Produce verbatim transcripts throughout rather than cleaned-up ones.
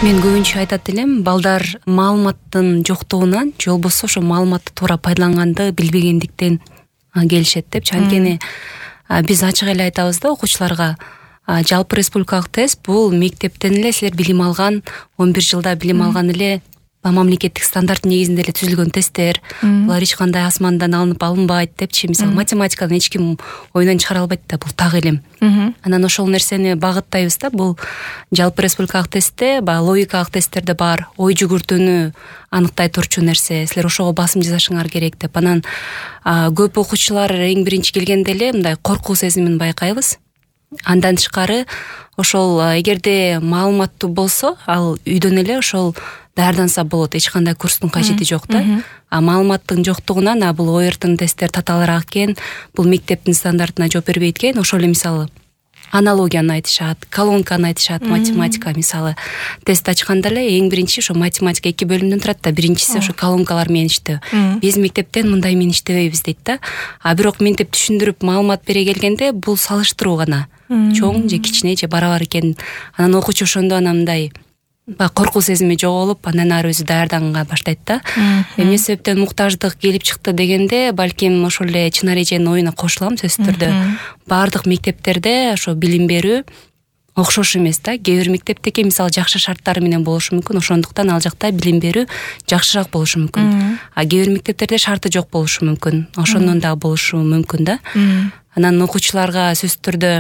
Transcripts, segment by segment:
Мен көбүнчө айтат элем, балдар маалыматтын жоктугунан же болбосо ошо маалыматты туура пайдаланганды билбегендиктен келишет депчи. Анткени биз ачык эле айтабыз да окуучуларга, жалпы республикалык тест бул мектептен эле силер билим алган, он бир жылда билим алган эле мамлекеттик стандарт негизинде эле түзүлгөн тесттер. Булар эч кандай асмандан алынып алынбайт депчи. Мисалы математиканы эч ким оюнан чыгара албайт да, бул так илим. Анан ошол нерсени багыттайбыз да. Бул жалпы республикалык тестте баягы логикалык тесттерде бар ой жүгүртүүнү аныктай турчу нерсе. Силер ошого басым жасашыңар керек деп. Анан көп окуучулар эң биринчи келгенде эле мындай коркуу сезимин байкайбыз. Андан тышкары ошол эгерде маалыматтуу болсо, ал үйдөн эле ошол даярданса болот. Эч кандай курстун кажети жок да. А маалыматтын жоктугунан а бул о эр тын тесттер татаалыраак экен, бул мектептин стандартына жооп бербейт экен. Ошол эле мисалы аналогияны айтышат, колонканы айтышат, математика мисалы тест ачканда эле эң биринчи ошо математика эки бөлүмдөн турат да. Биринчиси ошо колонкалар менен иштөө. Биз мектептен мындай менен иштебейбиз дейт да. А бирок ментип түшүндүрүп маалымат бере келгенде бул салыштыруу гана. Чоң же кичине же барабар экен. Анан окуучу ошондо анан мындай коркуу сезими жоголуп, андан ары өзү даярданганга баштайт да. Эмне себептен муктаждык келип чыкты дегенде, балким ошол эле чын эреженин оюна кошулам сөзсүз түрдө. Баардык мектептерде ошо билим берүү окшош эмес да. Кээ бир мектептеки мисалы жакшы шарттары менен болушу мүмкүн, ошондуктан ал жакта билим берүү жакшыраак болушу мүмкүн. А кээ бир мектептерде шарты жок болушу мүмкүн, ошондон дагы болушу мүмкүн да. Анан окуучуларга сөзсүз түрдө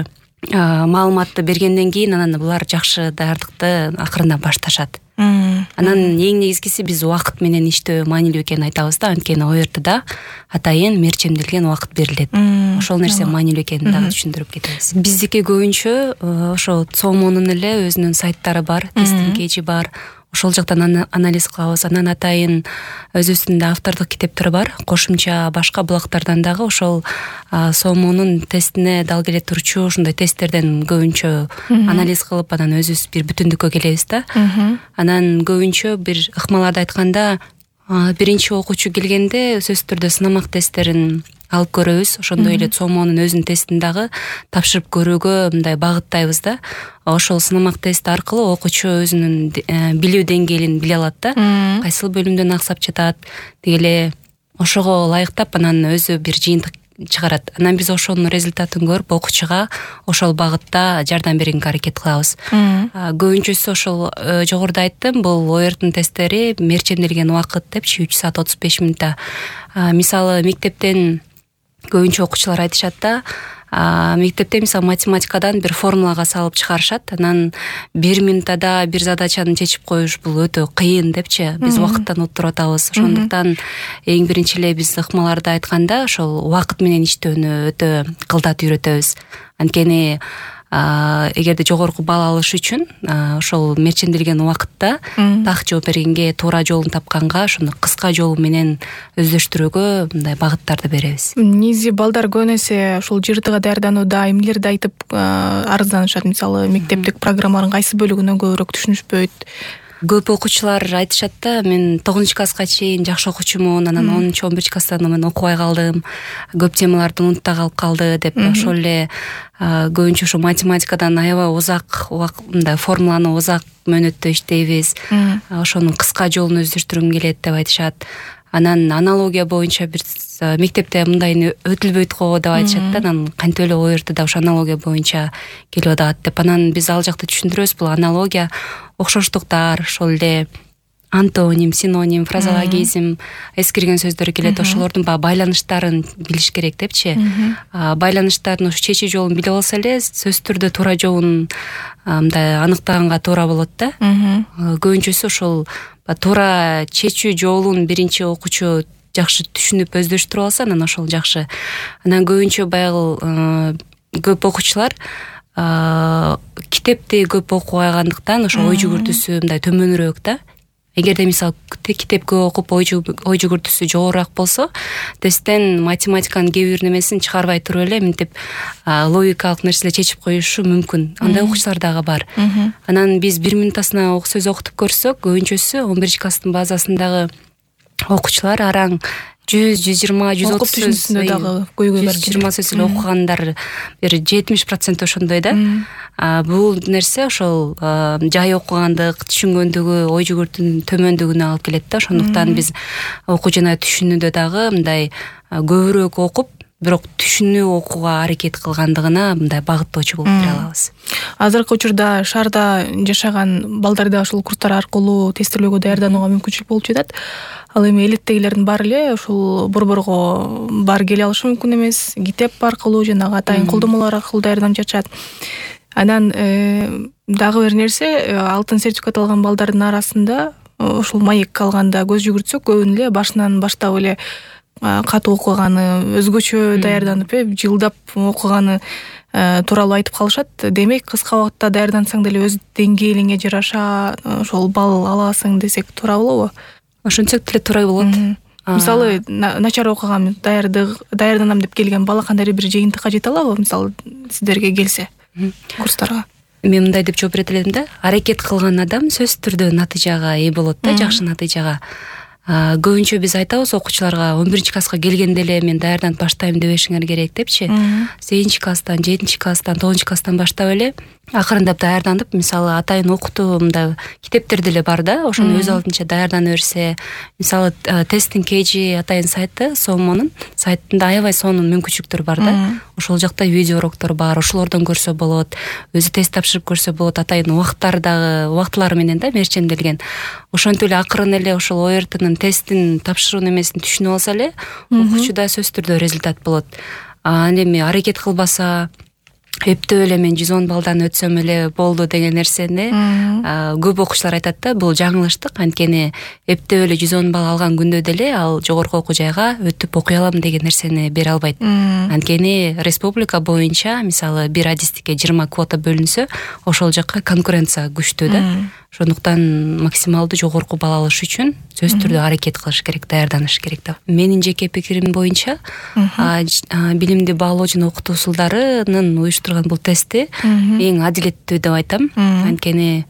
маалыматты бергенден кийин анан булар жакшы даярдыкты акырында башташат. Анан эң негизгиси биз убакыт менен иштөө маанилүү экенин айтабыз да. Анткени о эр тыда атайын мерчемделген убакыт берилет. Ошол нерсе маанилүү экенин дагы түшүндүрүп кетебиз. Биздики көбүнчө ошо цомонун эле өзүнүн сайттары бар, тесттин кежи бар. Ошол жактан анализ кылабыз. Анан атайын өзүбүздүн да автордук китептер бар. Кошумча башка блогтордон дагы ошол сомонун тестине дал келе турчу ушундай тесттерден көбүнчө анализ кылып, анан өзүбүз бир бүтүндүккө келебиз да. Анан көбүнчө бир ыкмаларды айтканда, биринчи окуучу келгенде сөзсүз түрдө сынамак тесттерин алып көрөбүз. Ошондой эле цомонун өзүнүн тестин дагы тапшырып көрүүгө мындай багыттайбыз да. Ошол сынамак тест аркылуу окуучу өзүнүн билүү деңгээлин биле алат да. Кайсыл бөлүмдөн аксап жатат, деги эле ошого ылайыктап анан өзү бир жыйынтык чыгарат. Анан биз ошонун результатын көрүп окуучуга ошол багытта жардам бергенге аракет кылабыз. Көбүнчөсү ошол жогоруда айттым, бул о эр тын тесттери мерчемделген убакыт депчи, үч саат отуз беш мүнөттө. Мисалы мектептен көбүнчө окуучулар айтышат да, мектепте мисалы математикадан бир формулага салып чыгарышат, анан бир минутада бир задачаны чечип коюш бул өтө кыйын депчи. Биз убакыттан отуруп атабыз. Ошондуктан эң биринчи эле биз ыкмаларды айтканда ошол убакыт менен иштөөнү өтө кылдат үйрөтөбүз. Анткени эгерде жогорку балл алыш үчүн ошол мерчемделген убакытта так жооп бергенге, туура жолун тапканга, ошону кыска жолу менен өздөштүрүүгө мындай багыттарды беребиз. Негизи балдар көбүн эсе ушул жыртыга даярданууда эмнелерди айтып арызданышат? Мисалы мектептик программанын кайсы бөлүгүнө көбүрөөк түшүнүшпөйт? Көп окуучулар айтышат да, мен тогузунчу класска чейин жакшы окуучумун, анан онунчу он биринчи класстан мен окубай калдым, көп темаларды унутта калып калды деп. Ошол эле көбүнчө ошо математикадан аябай узак мындай формуланы узак мөөнөттө иштейбиз, ошонун кыска жолун өздөштүргүм келет деп айтышат. Анан аналогия боюнча бир мектепте мындайын өтүлбөйт го деп айтышат да. Анан кантип эле о эр тыда ошо аналогия боюнча келип атат деп. Анан биз ал жакта түшүндүрөбүз, бул аналогия окшоштуктар, ошол эле антоним, синоним, фразеологизм, эскирген сөздөр келет. Ошолордун баягы байланыштарын билиш керек депчи. Байланыштардын ошо чечүү жолун билип алса эле сөзсүз түрдө туура жолун мындай аныктаганга туура болот да. Көбүнчөсү ошол туура чечүү жолун биринчи окуучу жакшы түшүнүп өздөштүрүп алса, анан ошол жакшы. Анан көбүнчө баягы көп окуучулар китепти көп окубай калгандыктан ошо ой жүгүртүүсү мындай төмөнүрөөк да. Эгерде мисалы китеп көп окуп ой жүгүртүүсү жогорураак болсо, тесттен математиканын кээ бир немесин чыгарбай туруп эле мынтип логикалык нерселер чечип коюшу мүмкүн. Андай окуучулар дагы бар. Анан биз бир минутасына сөз окутуп көрсөк, көбүнчөсү он биринчи класстын базасындагы окуучулар араң жүз жүз жыйырма жүз отуз сөз түшүнүүсүндө дагы көйгөй бар. жүз жыйырма сөз эле окугандар бир жетимиш процент ошондой да. Бул нерсе ошол жай окугандык, түшүнгөндүгү, ой жүгүртүүнүн төмөндүгүнө алып келет да. Ошондуктан биз окуу жана түшүнүүдө дагы мындай көбүрөөк окуп, бирок түшүнүү окууга аракет кылгандыгына мындай багыттоочу болуп бере алабыз. Азыркы учурда шаарда жашаган балдарда ушул курстар аркылуу тестилөөгө даярданууга мүмкүнчүлүк болуп жатат. Ал эми элиттегилердин баары эле ушул борборго баары келе алышы мүмкүн эмес. Китеп аркылуу жанагы атайын колдомолор аркылуу даярданып жатышат. Анан дагы бир нерсе, алтын сертификат алган балдардын арасында ушул маек алганда көз жүгүртсөк, көбүнү эле башынан баштап эле катуу окуганы, өзгөчө даярданып, жылдап окуганы тууралуу айтып калышат. Демек, кыска убакытта даярдансаң деле өз деңгээлиңе жараша ошол балл аласың десек туура болобу? Ошентсек деле туура болот. Мисалы, начар окугам, даярданам деп келген бала кандайдыр бир жыйынтыкка жете алабы? Мисалы, сиздерге келсе курстарга. Мен мындай деп жооп берет элем да. Аракет кылган адам сөзсүз түрдө натыйжага ээ болот да, жакшы натыйжага. Көбүнчө биз айтабыз окуучуларга он биринчи класска келгенде эле мен даярданып баштайм дебешиңер керек депчи. сегизинчи класстан, жетинчи класстан, тогузунчу класстан баштап эле акырындап даярданып, мисалы атайын окутуу мындай китептер деле бар да, ошону өз алдынча даярдана берсе, мисалы тесттин кежи атайын сайты, Сомонун сайтында аябай сонун мүмкүнчүлүктөр бар да. Ошол жакта видео уроктор бар, ошолордон көрсө болот, өзү тест тапшырып көрсө болот, атайын убакыттары дагы убактылары менен да мерченделген. Ошентип эле акырын эле ошол о эр тынын тесттин тапшыруу немесин түшүнүп алса эле, окуучуда сөзсүз түрдө результат болот. Ал эми аракет кылбаса, эптеп эле мен жүз он балдан өтсөм эле болду деген нерсени көп окуучулар айтат да, бул жаңылыштык. Анткени эптеп эле жүз он балл алган күндө деле ал жогорку окуу жайга өтүп окуй алам деген нерсени бере албайт. Анткени республика боюнча мисалы бир адистикке жыйырма квота бөлүнсө, ошол жакка конкуренция күчтүү да. Ошондуктан максималдуу жогорку балл алыш үчүн сөзсүз түрдө аракет кылыш керек, даярданыш керек да. Менин жеке пикирим боюнча, билимди баалоо жана окутуу усулдарынын уюштурган бул тестти эң адилеттүү деп айтам. Анткени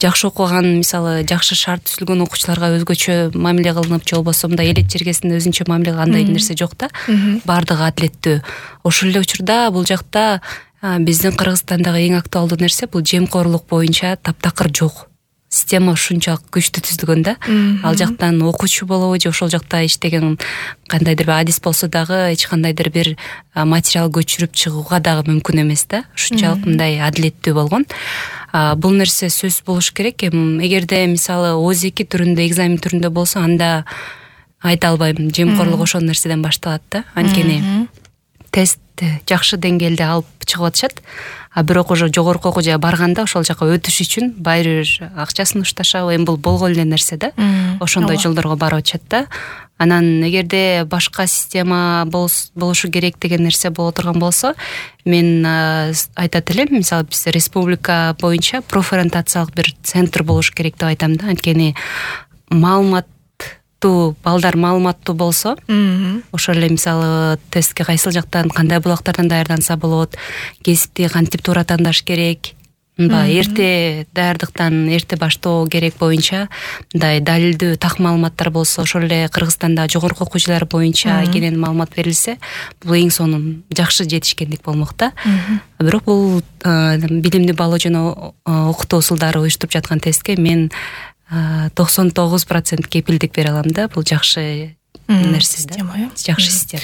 жакшы окуган, мисалы жакшы шарт түзүлгөн окуучуларга өзгөчө мамиле кылынып, же болбосо мындай элет жергесинде өзүнчө мамиле андай нерсе жок да. Бардыгы адилеттүү. Ошол эле учурда бул жакта биздин Кыргызстандагы эң актуалдуу нерсе бул жемкорлук боюнча таптакыр жок. Система ушунчалык күчтүү түзүлгөн да. Ал жактан окуучу болобу же ошол жакта иштеген кандайдыр бир адис болсо дагы эч кандайдыр бир материал көчүрүп чыгууга дагы мүмкүн эмес да. Ушунчалык мындай адилеттүү болгон. Бул нерсе сөз болуш керек. Эгерде мисалы о эки түрүндө, экзамен түрүндө болсо, анда айта албайм, жемкорлук ошол нерседен башталат да. Анткени тест жакшы деңгээлде алып чыгып атышат. А бирок уже жогорку окуу жайга барганда ошол жака өтүш үчүн баары бир акчасын ушташабы, эми бул болгон эле нерсе да. Ошондой жолдорго барып атышат да. Анан эгерде башка система болушу керек деген нерсе боло турган болсо, мен айтат элем, мисалы биз республика боюнча профориентациялык бир центр болуш керек деп айтам да. Анткени маалымат балдар маалыматтуу болсо, ошол эле мисалы тестке кайсыл жактан, кандай булактардан даярданса болот, кесипти кантип туура тандаш керек, эрте даярдыктан эрте баштоо керек боюнча мындай далилдүү так маалыматтар болсо, ошол эле Кыргызстанда жогорку окуу жайлар боюнча кенен маалымат берилсе, бул эң сонун жакшы жетишкендик болмок да. Бирок бул билимди баалоо жана окутуу усулдары уюштуруп жаткан тестке мен токсон тогуз процент кепилдик бере алам да. Бул жакшы нерсе да. Жакшы система.